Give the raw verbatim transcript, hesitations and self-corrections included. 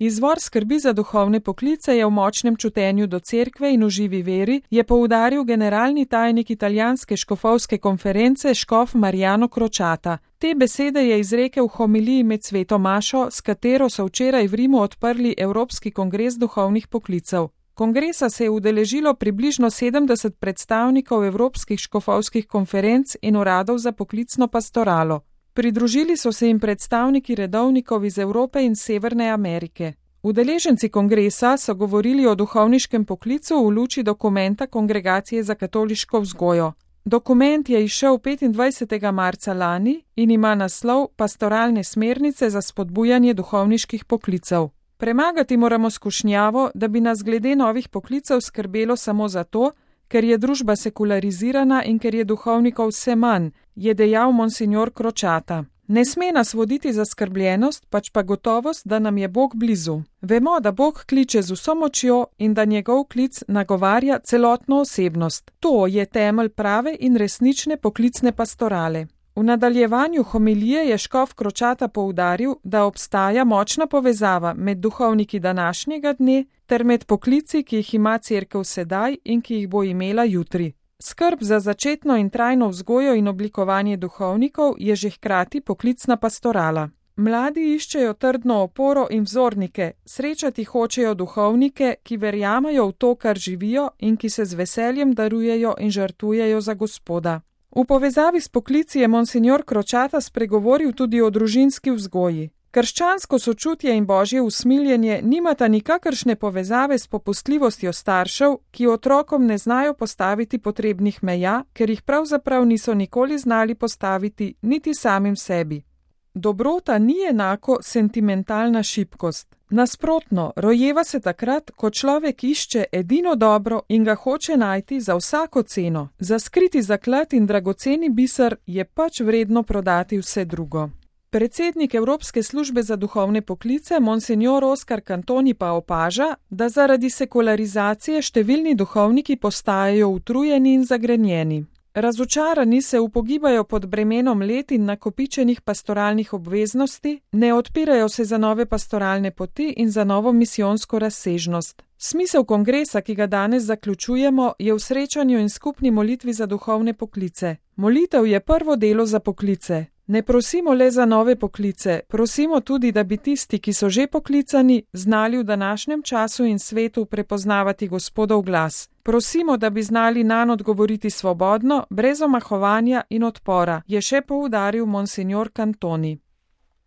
Izvor skrbi za duhovne poklice je v močnem čutenju do cerkve in v živi veri, je poudaril generalni tajnik italijanske škofovske konference škof Mariano Crociata. Te besede je izrekel v homiliji med sveto mašo, s katero so včeraj v Rimu odprli Evropski kongres duhovnih poklicev. Kongresa se je udeležilo približno sedemdeset predstavnikov evropskih škofovskih konferenc in uradov za poklicno pastoralo. Pridružili so se jim predstavniki redovnikov iz Evrope in Severne Amerike. Udeleženci kongresa so govorili o duhovniškem poklicu v luči dokumenta Kongregacije za katoliško vzgojo. Dokument je izšel petindvajsetega marca lani in ima naslov Pastoralne smernice za spodbujanje duhovniških poklicev. Premagati moramo skušnjavo, da bi nas glede novih poklicev skrbelo samo zato, ker je družba sekularizirana in ker je duhovnikov vse manj, je dejal monsignor Crociata. Ne sme nas voditi zaskrbljenost, pač pa gotovost, da nam je Bog blizu. Vemo, da Bog kliče z vso močjo in da njegov klic nagovarja celotno osebnost. To je temelj prave in resnične poklicne pastorale. V nadaljevanju homilije je škof Crociata poudaril, da obstaja močna povezava med duhovniki današnjega dne ter med poklici, ki jih ima cerkev sedaj in ki jih bo imela jutri. Skrb za začetno in trajno vzgojo in oblikovanje duhovnikov je že hkrati poklicna pastorala. Mladi iščejo trdno oporo in vzornike, srečati hočejo duhovnike, ki verjamajo v to, kar živijo in ki se z veseljem darujejo in žrtvujejo za Gospoda. V povezavi s poklici je monsignor Crociata spregovoril tudi o družinski vzgoji. Krščansko sočutje in božje usmiljenje nimata nikakršne povezave s popustljivostjo staršev, ki otrokom ne znajo postaviti potrebnih meja, ker jih pravzaprav niso nikoli znali postaviti niti samim sebi. Dobrota ni enako sentimentalna šibkost. Nasprotno, rojeva se takrat, ko človek išče edino dobro in ga hoče najti za vsako ceno. Za skriti zaklad in dragoceni biser je pač vredno prodati vse drugo. Predsednik Evropske službe za duhovne poklice, monsignor Oskar Cantoni, pa opaža, da zaradi sekularizacije številni duhovniki postajajo utrujeni in zagrenjeni. Razočarani se upogibajo pod bremenom let in nakopičenih pastoralnih obveznosti, ne odpirajo se za nove pastoralne poti in za novo misijonsko razsežnost. Smisel kongresa, ki ga danes zaključujemo, je v srečanju in skupni molitvi za duhovne poklice. Molitev je prvo delo za poklice. Ne prosimo le za nove poklice, prosimo tudi, da bi tisti, ki so že poklicani, znali v današnjem času in svetu prepoznavati Gospodov glas. Prosimo, da bi znali nanj odgovoriti svobodno, brez omahovanja in odpora, je še poudaril monsignor Cantoni.